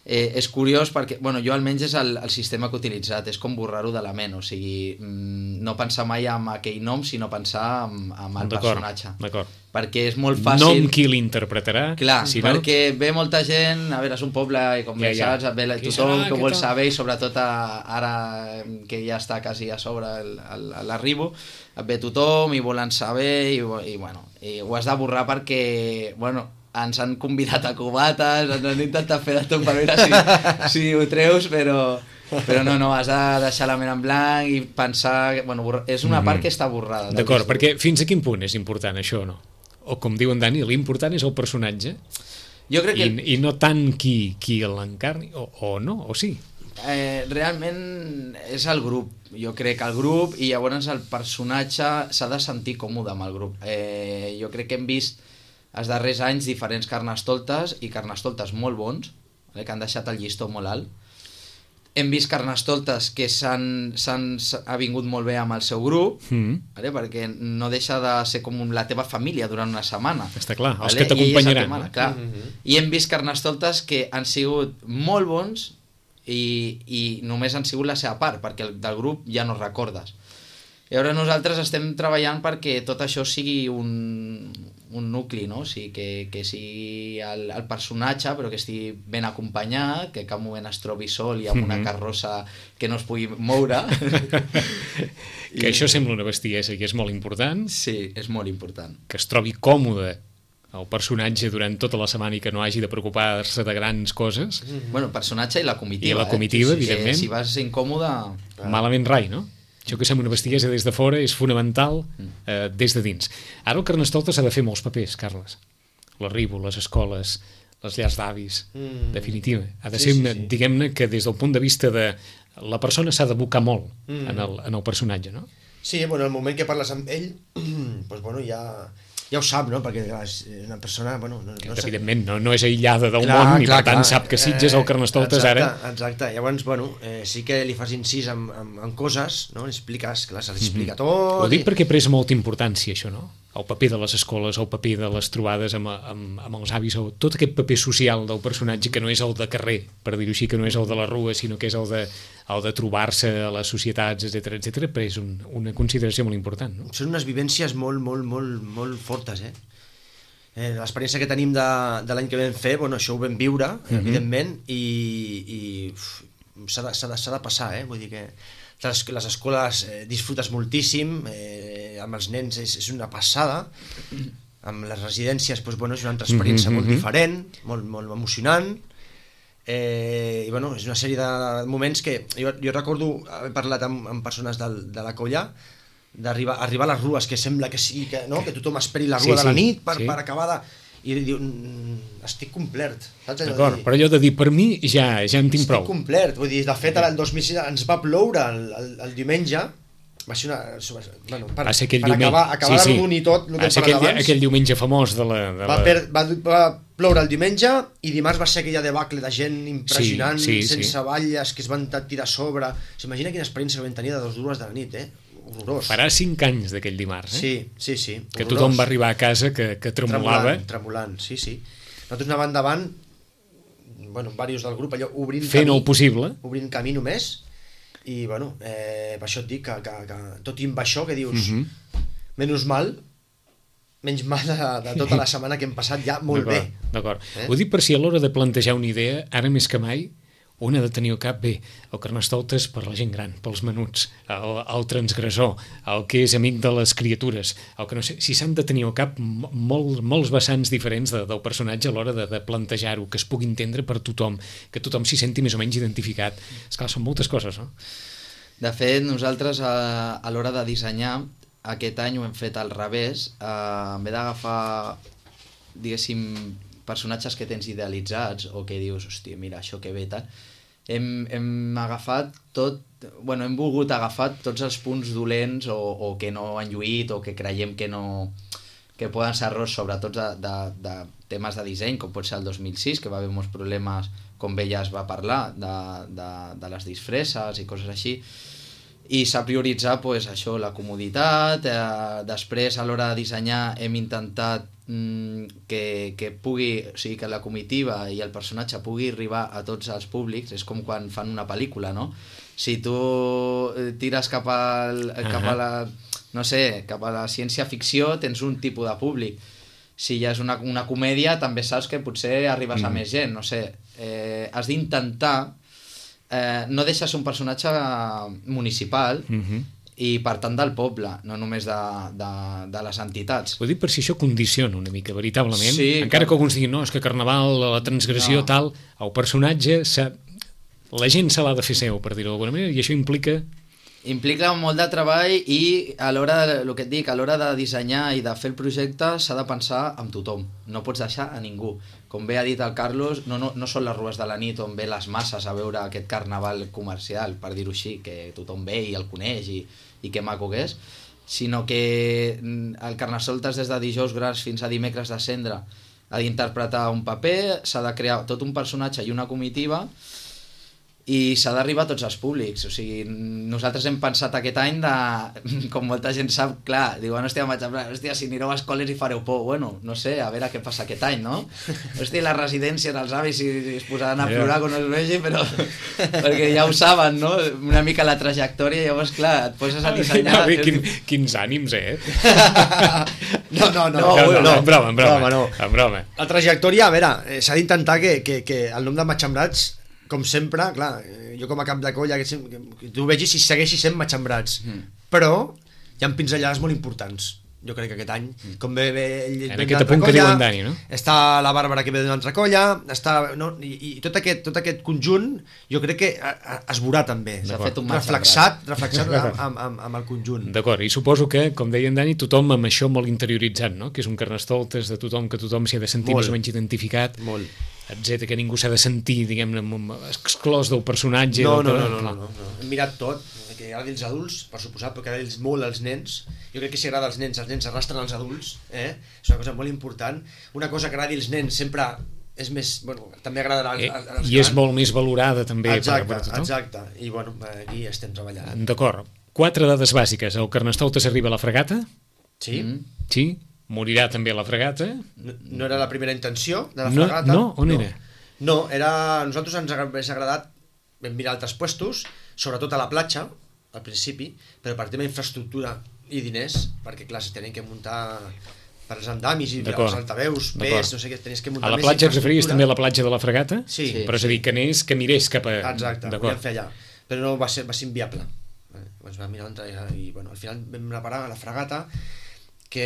Speaker 4: eh, és curiós perquè, bueno, jo almenys és el, el sistema que he utilitzat, és com borrar-ho de la ment, o sigui, mm, no pensar mai en aquell nom, sinó pensar en, en el
Speaker 2: D'acord,
Speaker 4: personatge.
Speaker 2: d'acord.
Speaker 4: Perquè és molt fàcil...
Speaker 2: Nom qui l'interpretarà,
Speaker 4: Clar,
Speaker 2: si
Speaker 4: si
Speaker 2: no...
Speaker 4: perquè ve molta gent, a veure, és un poble i com
Speaker 2: Ja,
Speaker 4: ja,
Speaker 2: ja.
Speaker 4: saps, ve la-
Speaker 2: Qui
Speaker 4: tothom
Speaker 2: serà,
Speaker 4: que
Speaker 2: què
Speaker 4: vol
Speaker 2: tal?
Speaker 4: saber i sobretot a, ara que ja està quasi a sobre el- el- l'arribo, et ve tothom i volen saber i, i bueno, i ho has de borrar perquè, bueno, ens han convidat a cubates, ens han intentat fer de tot per veure si, si ho treus, però, però no, no, has de deixar la ment en blanc i pensar... Bueno, borra- és una part que està borrada. del
Speaker 2: D'acord,
Speaker 4: discurs.
Speaker 2: perquè fins a quin punt és important això o no? O com diu en Dani, l'important és el personatge
Speaker 4: Jo crec que...
Speaker 2: i, i no tant qui, qui l'encarni, o, o no, o sí.
Speaker 4: Eh, realment és el grup, jo crec el grup i llavors el personatge s'ha de sentir còmode amb el grup. Eh, jo crec que hem vist els darrers anys diferents carnestoltes i carnestoltes molt bons, vale? Que han deixat el llistó molt alt. Hem vist carnestoltes que s'han, s'han, ha vingut molt bé amb el seu grup, mm. vale? Perquè no deixa de ser com la teva família durant una setmana.
Speaker 2: Està clar, els
Speaker 4: vale?
Speaker 2: que t'acompanyaran.
Speaker 4: I, clar. Mm-hmm. I hem vist carnestoltes que han sigut molt bons i, i només han sigut la seva part, perquè el, del grup ja no recordes. I ara nosaltres estem treballant perquè tot això sigui un, un nucli, no? O sigui, que, que sigui el, el personatge, però que estigui ben acompanyat, que cap moment es trobi sol i amb una carrossa que no es pugui moure.
Speaker 2: Que I... això sembla una bestiesa i és molt important.
Speaker 4: Sí, és molt important.
Speaker 2: Que es trobi còmode el personatge durant tota la setmana i que no hagi de preocupar-se de grans coses.
Speaker 4: Mm-hmm. Bueno, el personatge i la comitiva.
Speaker 2: I la comitiva, eh? Evidentment.
Speaker 4: Si vas incòmode...
Speaker 2: Malament rai, no? Això que sembla una bestiesa des de fora és fonamental eh, des de dins. Ara el Carnestoltes ha de fer molts papers, Carles. L'arribo, les escoles, les llars d'avis, mm. definitiva. Ha de sí, ser, sí, sí. diguem-ne, que des del punt de vista de la persona s'ha d'abocar molt mm. en, el, en el personatge, no?
Speaker 3: Sí, bueno, el moment que parles amb ell, doncs, bueno, ja... ja ho sap, no? Perquè és una persona... Bueno, no, no
Speaker 2: evidentment, no, no és aïllada del clar, món i clar, per tant clar. Sap que Sitges el Carnestoltes
Speaker 3: exacte,
Speaker 2: ara...
Speaker 3: Exacte, llavors, bueno, eh, sí que li fas incís en, en, en coses, no? Li expliques, clar, se li explica mm-hmm. tot...
Speaker 2: Ho dic
Speaker 3: i...
Speaker 2: perquè ha pres molta importància, això, no? El paper de les escoles, el paper de les trobades amb, amb, amb els avis, el, tot aquest paper social del personatge que no és el de carrer, per dir-ho així, que no és el de la rua, sinó que és el de, el de trobar-se a les societats, etcètera, etcètera, però és un, una consideració molt important, no?
Speaker 3: Són unes vivències molt, molt, molt, molt fortes, eh? Eh, l'experiència que tenim de, de l'any que vam fer, bueno, això ho vam viure, mm-hmm. evidentment, i, i uf, s'ha de, s'ha de, s'ha de passar, eh? Vull dir que les, les escoles eh, disfrutes moltíssim, eh, amb els nens és, és una passada, amb les residències doncs, bueno, és una altra experiència mm-hmm. molt diferent, molt, molt emocionant, eh, i bueno, és una sèrie de moments que jo, jo recordo haver parlat amb, amb persones del, de la colla, d'arribar arribar a les rues, que sembla que sí, que, no? que tothom esperi la rua sí, de la nit per, sí. per acabar de... I diu, estic complert. Saps?
Speaker 2: D'acord, però allò de dir, per mi ja, ja en tinc
Speaker 3: estic
Speaker 2: prou.
Speaker 3: Estic complert, vull dir, de fet el dos mil sis ens va ploure el, el, el diumenge, va ser una... Bueno, per,
Speaker 2: va ser aquell
Speaker 3: per
Speaker 2: diumenge.
Speaker 3: acabar, acabar
Speaker 2: sí, sí.
Speaker 3: l'un i tot, el que
Speaker 2: va ser aquell, aquell diumenge famós de la... De
Speaker 3: va,
Speaker 2: la...
Speaker 3: per, va, va ploure el diumenge i dimarts va ser aquella debacle de gent impressionant, sí, sí, sense sí. valles, que es van tirar a sobre. S'imagina quina experiència vam tenir de dos dues de la nit, eh? Horrorós.
Speaker 2: Farà cinc anys d'aquell dimarts, eh?
Speaker 3: Sí, sí, sí.
Speaker 2: Que horrorós. Tothom va arribar a casa que, que tremolava.
Speaker 3: Tremolant, tremolant, sí, sí. Nosaltres anàvem endavant, bueno, diversos del grup, allò obrint
Speaker 2: fent
Speaker 3: camí,
Speaker 2: el possible.
Speaker 3: Obrint camí només, i bueno, eh, per això et dic que, que, que tot i amb això que dius, mm-hmm. menys mal, menys mal de, de tota la setmana que hem passat ja molt bé.
Speaker 2: D'acord, eh? Ho dic per si a l'hora de plantejar una idea, ara més que mai, un ha de tenir al cap bé el Carnestoltes per la gent gran, pels menuts, el, el transgressor, el que és amic de les criatures, el que no sé, si s'han de tenir al cap molt, molts vessants diferents de, del personatge a l'hora de, de plantejar-ho, que es pugui entendre per tothom, que tothom s'hi senti més o menys identificat. Esclar, són moltes coses, no?
Speaker 4: De fet, nosaltres a, a l'hora de dissenyar, aquest any ho hem fet al revés, eh, en vez d'agafar, diguéssim, personatges que tens idealitzats o que dius, hòstia, mira, això que bé, tal, hem, hem agafat tot, bueno, hem volgut agafar tots els punts dolents o, o que no han lluït o que creiem que no que poden ser errors, sobretot de, de, de temes de disseny, com pot ser el dos mil sis, que va haver molts problemes, com bé ja es va parlar, de, de, de les disfresses i coses així, i s'ha prioritzat pues, això, la comoditat, eh, després a l'hora de dissenyar hem intentat mm, que, que pugui, o sigui, que la comitiva i el personatge pugui arribar a tots els públics, és com quan fan una pel·lícula, no? Si tu tires cap, al, uh-huh. cap a la, no sé, cap a la ciència-ficció tens un tipus de públic, si ja és una, una comèdia també saps que potser arribes mm. a més gent, no sé, eh, has d'intentar Eh, no deixes un personatge municipal uh-huh. i per tant del poble, no només de, de, de les entitats.
Speaker 2: Ho dic per si això condiciona una mica, veritablement.
Speaker 4: Sí,
Speaker 2: encara que alguns diguin, no, és que Carnaval, la transgressió, no. tal, el personatge, la gent se l'ha de fer seu, per dir-ho d'alguna manera, i això implica...
Speaker 4: Implica molt de treball i a l'hora, el que et dic, a l'hora de dissenyar i de fer el projecte s'ha de pensar amb tothom, no pots deixar a ningú. Com bé ha dit el Carlos, no, no, no són les rues de la nit on ve les masses a veure aquest carnaval comercial, per dir-ho així, que tothom ve i el coneix i, i que maco que és, sinó que el Carnestoltes des de dijous gras fins a dimecres de cendre ha d'interpretar un paper, s'ha de crear tot un personatge i una comitiva i s'ha d'arribar a tots els públics. O sigui, nosaltres hem pensat aquest any de, com molta gent sap, clar, diuen, hòstia, vaig a... hòstia, si anireu a escoles i fareu por. Bueno, no sé, a veure què passa aquest any, no? Hòstia, les residències, els avis, si es posaran a plorar quan els vegi, però... perquè ja ho saben, no? Una mica la trajectòria, llavors, clar, et poses a dissenyar...
Speaker 2: Bé, quin, quins ànims, eh?
Speaker 3: No, no, no.
Speaker 2: No, no, no, en broma, en broma.
Speaker 3: broma no.
Speaker 2: En broma.
Speaker 3: La trajectòria, a veure, eh, s'ha d'intentar que, que, que el nom de Matxembrats, com sempre, clar, jo com a cap de colla, que, que, que tu vegis si segueixi sent Matxembrats, mm. però hi ha pinzellades molt importants, jo crec que aquest any, mm. com ve, ve ell
Speaker 2: en aquest apunt que diu en Dani, no?
Speaker 3: Està la Bàrbara que ve d'una altra colla, està, no? I, i tot, aquest, tot aquest conjunt jo crec que a, a, es veurà també,
Speaker 4: s'ha fet un
Speaker 3: reflexat, reflexat amb, amb, amb el conjunt.
Speaker 2: D'acord, i suposo que, com deia en Dani, tothom amb això molt interioritzat, no? Que és un Carnestoltes de tothom, que tothom s'hi ha de sentir molt, més o menys identificat.
Speaker 3: Molt.
Speaker 2: Etcètera, que ningú s'ha de sentir, diguem-ne, exclòs del personatge.
Speaker 3: No,
Speaker 2: del...
Speaker 3: no, no, no, no, no. Hem mirat tot, que agradi als adults, per suposat, però que agradi molt als nens. Jo crec que si agrada als nens, els nens arrastren als adults, eh? És una cosa molt important. Una cosa que agradi als nens sempre és més... Bueno, també agrada als, als grans.
Speaker 2: I és molt més valorada, també,
Speaker 3: exacte,
Speaker 2: per, per tothom.
Speaker 3: Exacte, i bueno, aquí estem treballant.
Speaker 2: D'acord. Quatre dades bàsiques. El Carnestoltes arriba a la fregata?
Speaker 3: Sí.
Speaker 2: Mm. Sí. Morirà també a la fregata?
Speaker 3: No, no era la primera intenció de la
Speaker 2: no,
Speaker 3: fregata.
Speaker 2: No? On
Speaker 3: no.
Speaker 2: era?
Speaker 3: No, era... Nosaltres ens hagués agradat, vam mirar altres puestos, sobretot a la platja, al principi, però per tema d'infraestructura i diners, perquè clar, si tenen que muntar per als andamis i els altaveus, pes, no sé què, tenies que muntar
Speaker 2: més infraestructura. A la platja et referies també a la platja de la fregata?
Speaker 3: Sí. sí
Speaker 2: però és a dir, que anés, que mirés cap a...
Speaker 3: Exacte, ho vam fer allà, però no va ser, va ser inviable. Ens vam mirar i bueno, al final vam anar a parar a la fregata, que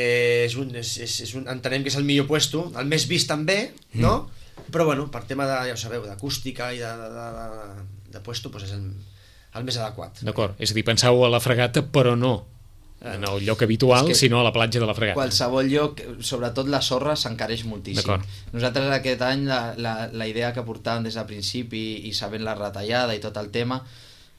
Speaker 3: és un, és, és, és un, entenem que és el millor puesto, el més vist també, no? Mm. Però bueno, per tema de, ja ho sabeu, d'acústica i de, de, de, de puesto, doncs és el, el més adequat.
Speaker 2: D'acord, és a dir, penseu a la fregata, però no en el lloc habitual, sinó a la platja de la fregata.
Speaker 4: Qualsevol lloc, sobretot la sorra, s'encareix moltíssim. Nosaltres aquest any la, la, la idea que portàvem des del principi i sabent la retallada i tot el tema,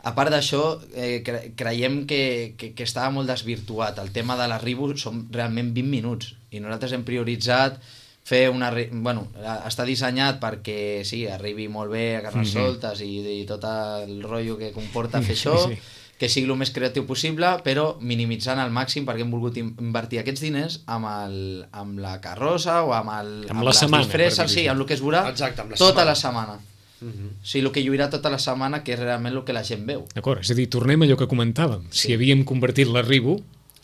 Speaker 4: a part d'això, eh, cre creiem que, que, que estava molt desvirtuat. El tema de l'arribo són realment vint minuts i nosaltres hem prioritzat fer una... Bueno, està dissenyat perquè sí, arribi molt bé a Carnestoltes mm-hmm. i, i tot el rotllo que comporta fer això, sí. que sigui el més creatiu possible, però minimitzant al màxim perquè hem volgut invertir aquests diners amb, el, amb la carrossa o amb, el,
Speaker 2: amb, amb la setmana,
Speaker 4: disfresses, sí, amb el que es veurà
Speaker 3: Exacte, la
Speaker 4: tota
Speaker 3: setmana.
Speaker 4: la setmana. Uh-huh. O sigui, el que lluirà tota la setmana, que és realment el que la gent veu.
Speaker 2: D'acord, és a dir, tornem a allò que comentàvem. Sí. Si havíem convertit l'arribo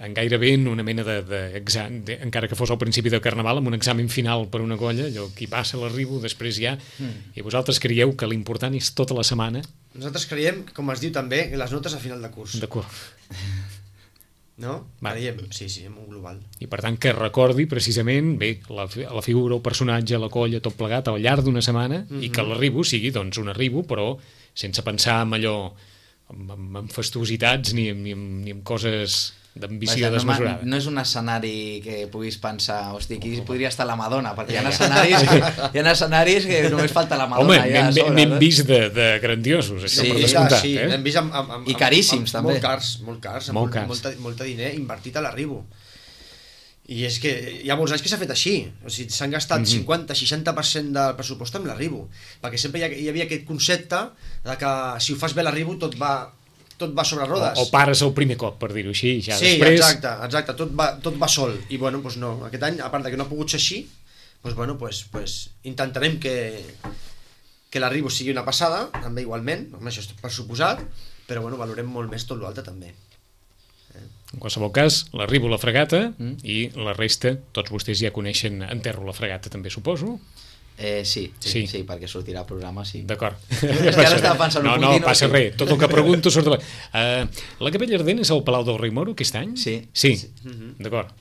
Speaker 2: en gairebé en una mena d'examen, de, de, encara que fos al principi del Carnaval, amb un examen final per una colla, allò, qui passa l'arribo, després ja... Mm. I vosaltres creieu que l'important és tota la setmana?
Speaker 3: Nosaltres creiem, com es diu també, les notes a final de curs.
Speaker 2: D'acord.
Speaker 3: No? Va. Creiem, sí, sí, en un global.
Speaker 2: I per tant que recordi precisament bé, la, la figura, el personatge, la colla, tot plegat al llarg d'una setmana mm-hmm. i que l'arribo sigui doncs un arribo, però sense pensar en allò, en, en, en fastuositats ni, ni, ni en coses d'ambició
Speaker 4: no,
Speaker 2: desmesurada.
Speaker 4: No és un escenari que puguis pensar, hosti, aquí podria estar la Madonna, perquè hi ha escenaris que, hi ha escenaris que només falta la Madonna.
Speaker 2: Home, ja n'hem vist de, de grandiosos, això
Speaker 3: sí,
Speaker 2: per descomptat.
Speaker 3: Sí,
Speaker 2: eh?
Speaker 3: n'hem vist amb, amb, amb,
Speaker 4: i caríssims,
Speaker 3: amb, amb,
Speaker 4: també.
Speaker 3: Molt cars, molt cars, amb molt, cars. Molta, molta diner invertit a l'arribo. I és que hi ha molts anys que s'ha fet així, o sigui, s'han gastat mm-hmm. cinquanta seixanta per cent del pressupost amb l'arribo, perquè sempre hi, ha, hi havia aquest concepte de que si ho fas bé l'arribo tot va... tot va sobre rodes.
Speaker 2: O, o pares el primer cop, per dir-ho així, ja
Speaker 3: sí,
Speaker 2: després...
Speaker 3: Sí, exacte, exacte, tot va, tot va sol. I bueno, doncs no, aquest any, a part de que no ha pogut ser així, doncs bueno, doncs, doncs intentarem que, que l'arribo sigui una passada, també igualment, home, això és per suposat, però bueno, valorem molt més tot l'altre també.
Speaker 2: Eh? En qualsevol cas, l'arribo la fregata mm. i la resta, tots vostès ja coneixen Enterro la fregata també, suposo?
Speaker 4: Eh, sí, sí,
Speaker 2: sí,
Speaker 4: sí, perquè sortirà al programa, sí.
Speaker 2: D'acord.
Speaker 4: És que ara estava pensant
Speaker 2: no,
Speaker 4: un
Speaker 2: no,
Speaker 4: puntino,
Speaker 2: passa
Speaker 4: sí.
Speaker 2: res. Tot el que pregunto surt de la... Uh, la Capella Ardent és al Palau del Rei Moro aquest any?
Speaker 4: Sí.
Speaker 2: Sí,
Speaker 4: sí.
Speaker 2: Mm-hmm. D'acord.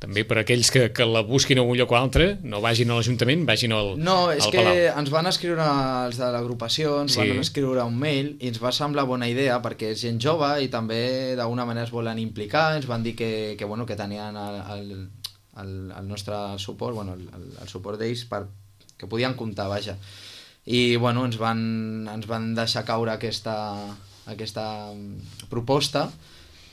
Speaker 2: També per aquells que, que la busquin a un lloc o altre, no vagin a l'Ajuntament, vagin al,
Speaker 4: no, és
Speaker 2: al
Speaker 4: que
Speaker 2: Palau.
Speaker 4: Ens van escriure els de l'agrupació, ens sí. van escriure un mail i ens va semblar bona idea perquè és gent jove i també d'alguna manera es volen implicar, ens van dir que, que, bueno, que tenien el, el, el, el nostre suport, bueno, el, el suport d'ells per que podien comptar, vaja. I bueno, ens van, ens van deixar caure aquesta, aquesta proposta.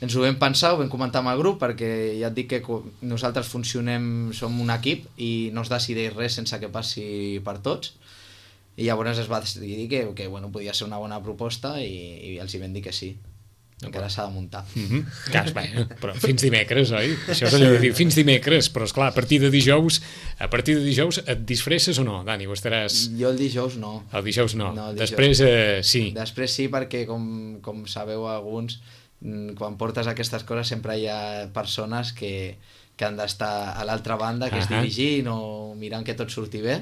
Speaker 4: ens ho vam pensar, ho vam comentar amb el grup, perquè ja et dic que nosaltres funcionem, som un equip i no es decideix res sense que passi per tots, i llavors es va decidir que, que bueno, podia ser una bona proposta i, i els hi vam dir que sí. Encara s'ha de muntar.
Speaker 2: Mm-hmm. Cas, bé, però fins dimecres, oi? Això és allò de dir fins dimecres, però esclar, a partir de dijous, a partir de dijous et disfresses o no, Dani? O estaràs...
Speaker 4: Jo el dijous no.
Speaker 2: El dijous no.
Speaker 4: no el dijous.
Speaker 2: Després eh, sí.
Speaker 4: Després sí, perquè com, com sabeu alguns, quan portes aquestes coses sempre hi ha persones que, que han d'estar a l'altra banda, que uh-huh. és dirigint o mirant que tot surti bé,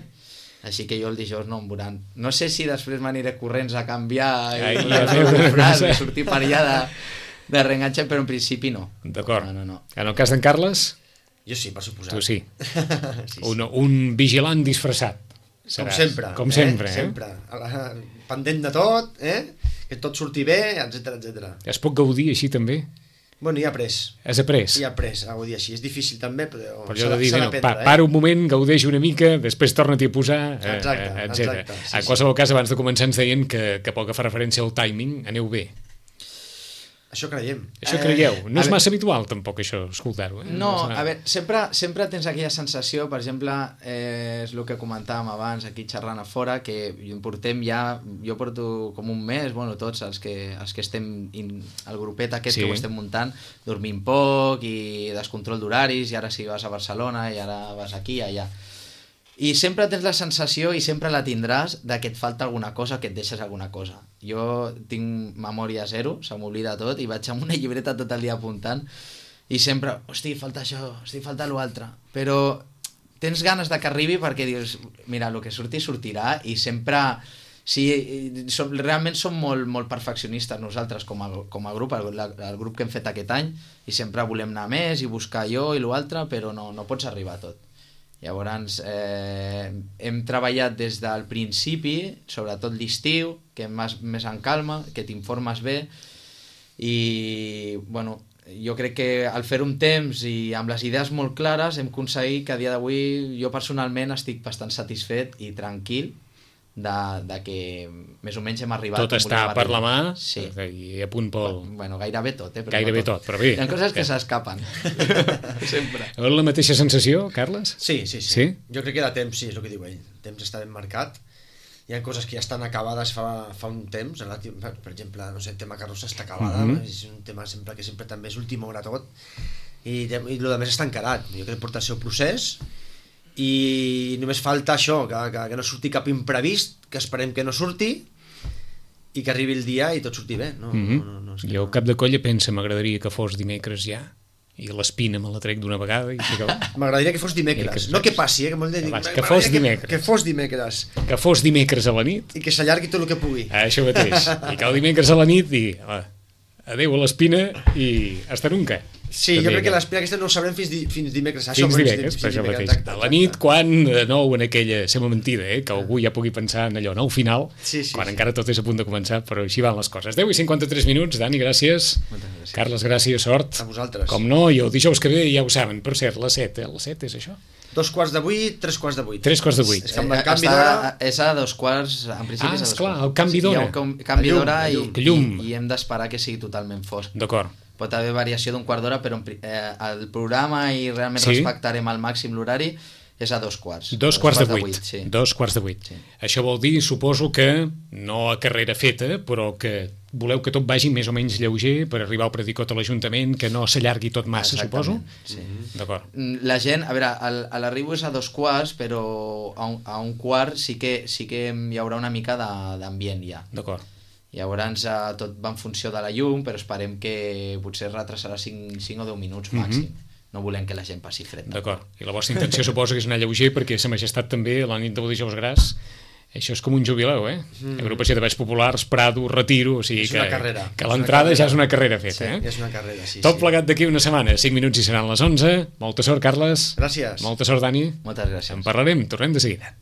Speaker 4: així que jo el dijous no em veuran. No sé si després m'aniré corrents a canviar i,
Speaker 2: Ai,
Speaker 4: i a fer frase, sortir per allà de, de reenganxe, però en principi no.
Speaker 2: D'acord.
Speaker 4: No, no, no.
Speaker 2: En el cas d'en Carles?
Speaker 3: Jo sí, per suposar.
Speaker 2: Tu sí.
Speaker 3: sí, sí.
Speaker 2: Un, un vigilant disfressat.
Speaker 3: Com
Speaker 2: Seràs.
Speaker 3: sempre.
Speaker 2: Com
Speaker 3: eh?
Speaker 2: sempre, eh?
Speaker 3: Sempre. Pendent de tot, eh? Que tot surti bé, etcètera, etcètera.
Speaker 2: Es pot gaudir així també?
Speaker 3: Bueno, ja he après.
Speaker 2: Has après?
Speaker 3: Ja he après a gaudir així. És difícil també, però,
Speaker 2: però jo de dir,
Speaker 3: s'ha
Speaker 2: no,
Speaker 3: d'aprendre,
Speaker 2: pa,
Speaker 3: eh?
Speaker 2: para un moment, gaudeix una mica, després torna-t'hi a posar, eh,
Speaker 3: Exacte,
Speaker 2: eh, etcètera.
Speaker 3: exacte, sí,
Speaker 2: En qualsevol cas, abans de començar ens deien que, que pel que fa referència al timing, aneu bé.
Speaker 3: Això creiem.
Speaker 2: Això creieu. No
Speaker 4: a
Speaker 2: és
Speaker 4: veure-
Speaker 2: massa habitual, tampoc, això, escoltar-ho. Eh?
Speaker 4: No,
Speaker 2: és
Speaker 4: a veure, sempre, sempre tens aquella sensació, per exemple, eh, és el que comentàvem abans aquí xerrant a fora, que portem ja, jo porto com un mes, bueno, tots els que, els que estem, in, el grupet aquest
Speaker 2: Sí.
Speaker 4: que ho estem muntant, dormint poc i descontrol d'horaris, i ara si vas a Barcelona i ara vas aquí, allà. I sempre tens la sensació, i sempre la tindràs, de que et falta alguna cosa, que et deixes alguna cosa. Jo tinc memòria zero, se m'oblida tot, i vaig amb una llibreta tot el dia apuntant, i sempre, hosti, falta això, hosti, falta l'altre. Però tens ganes de que arribi perquè dius, mira, el que surti, sortirà, i sempre... Sí, som, realment som molt, molt perfeccionistes nosaltres com a, com a grup, el, el grup que hem fet aquest any, i sempre volem anar més i buscar allò i l'altre, però no, no pots arribar a tot. Llavors, eh, hem treballat des del principi, sobretot l'estiu, que més, més en calma, que t'informes bé, i bueno, jo crec que al fer un temps i amb les idees molt clares hem aconseguit que a dia d'avui jo personalment estic bastant satisfet i tranquil de, de que més o menys hem arribat.
Speaker 2: Tot està per la mà,
Speaker 4: sí.
Speaker 2: I a punt pel...
Speaker 4: Bueno, gairebé tot, eh? Però
Speaker 2: Gairebé
Speaker 4: no tot.
Speaker 2: tot, però bé.
Speaker 4: Hi ha coses que s'escapen. Sempre.
Speaker 2: La mateixa sensació, Carles?
Speaker 3: Sí, sí, sí,
Speaker 2: Sí?
Speaker 3: Jo crec que de temps, sí, és el que diu ell. El temps està ben marcat. Hi ha coses que ja estan acabades fa, fa un temps. Relatiu, per exemple, no sé, el tema carrossa està acabada.
Speaker 2: Mhm.
Speaker 3: És un tema sempre que sempre també és última hora tot. I, i el que més està encarat. Jo crec que porta el seu procés i només falta això, que, que, que no surti cap imprevist, que esperem que no surti i que arribi el dia i tot surti bé. No,
Speaker 2: Mm-hmm.
Speaker 3: no, no, no, és que
Speaker 2: Jo
Speaker 3: no.
Speaker 2: cap de colla pensa, m'agradaria que fos dimecres ja, i l'espina me la trec d'una vegada i s'acaba.
Speaker 3: M'agradaria que fos
Speaker 2: I
Speaker 3: dimecres.
Speaker 2: que-
Speaker 3: No que passi, eh, que molt de dir.
Speaker 2: Que
Speaker 3: m'agradaria
Speaker 2: fos dimecres.
Speaker 3: Que, que fos dimecres.
Speaker 2: Que fos dimecres a la nit,
Speaker 3: I que s'allargui tot el que pugui.
Speaker 2: això mateix, i que el dimecres a la nit i ah, adeu a l'espina i hasta nunca.
Speaker 3: Sí, jo crec que l'espina aquesta no ho sabrem fins, di, fins dimecres. Això,
Speaker 2: Fins
Speaker 3: fins
Speaker 2: dimecres,
Speaker 3: fins
Speaker 2: per això
Speaker 3: dimecres,
Speaker 2: mateix.
Speaker 3: exacte,
Speaker 2: A la
Speaker 3: exacte.
Speaker 2: nit, quan de nou en aquella... Sembla mentida, eh? Que algú ja pugui pensar en allò, no? Al final,
Speaker 3: Sí, sí,
Speaker 2: quan
Speaker 3: sí.
Speaker 2: encara tot és a punt de començar, però així van les coses. deu i cinquanta-tres minuts, Dani, gràcies.
Speaker 4: Moltes gràcies.
Speaker 2: Carles, gràcies, sort.
Speaker 3: A vosaltres.
Speaker 2: Com no, i el dijous que ve ja ho saben. Per cert, les set, eh? Les set és això?
Speaker 3: Dos quarts de vuit, tres quarts de vuit.
Speaker 2: Tres quarts de vuit.
Speaker 3: És que amb el
Speaker 4: Eh,
Speaker 3: canvi
Speaker 4: està-
Speaker 3: d'hora...
Speaker 4: És a dos quarts, en principi
Speaker 2: Ah,
Speaker 4: és a dos
Speaker 2: esclar,
Speaker 4: quarts.
Speaker 2: el canvi
Speaker 4: Sí,
Speaker 2: d'hora.
Speaker 4: Hi ha un com- canvi
Speaker 3: La llum,
Speaker 4: d'hora
Speaker 3: la
Speaker 4: i,
Speaker 3: llum.
Speaker 2: Que llum.
Speaker 4: i, i hem d'esperar que sigui totalment fosc.
Speaker 2: D'acord.
Speaker 4: Pot haver variació d'un quart d'hora, però en pri- eh, el programa i realment
Speaker 2: Sí?
Speaker 4: respectarem al màxim l'horari és a dos quarts.
Speaker 2: Dos quarts de vuit.
Speaker 4: sí.
Speaker 2: Dos quarts de vuit.
Speaker 4: Sí.
Speaker 2: Això vol dir, suposo que, no a carrera feta, però que voleu que tot vagi més o menys lleuger per arribar al predicot a l'Ajuntament, que no s'allargui tot massa, suposo?
Speaker 4: Exactament, sí.
Speaker 2: D'acord.
Speaker 4: Mm, La gent, a veure, el- a l'arribo és a dos quarts, però a un, a un quart sí que, sí que hi haurà una mica de- d'ambient ja.
Speaker 2: D'acord.
Speaker 4: Llavors eh, tot va en funció de la llum, però esperem que potser retrasarà cinc o deu minuts màxim. No volem que la gent passi fred.
Speaker 2: D'acord. I la vostra intenció suposo que és anar lleuger, perquè Sa Majestat també, la nit del dijous gras, això és com un jubileu, eh? Mm. Agrupació de Balls Populars, Prado, Retiro, o sigui
Speaker 3: És
Speaker 2: que,
Speaker 3: una carrera.
Speaker 2: que
Speaker 3: És una
Speaker 2: l'entrada
Speaker 3: carrera.
Speaker 2: ja és una carrera feta,
Speaker 3: Sí,
Speaker 2: eh?
Speaker 3: és una carrera, sí.
Speaker 2: Tot
Speaker 3: sí.
Speaker 2: plegat d'aquí una setmana, cinc minuts i seran les onze. Molta sort, Carles.
Speaker 3: Gràcies.
Speaker 2: Molta sort, Dani.
Speaker 4: Moltes gràcies.
Speaker 2: En parlarem, tornem de seguida.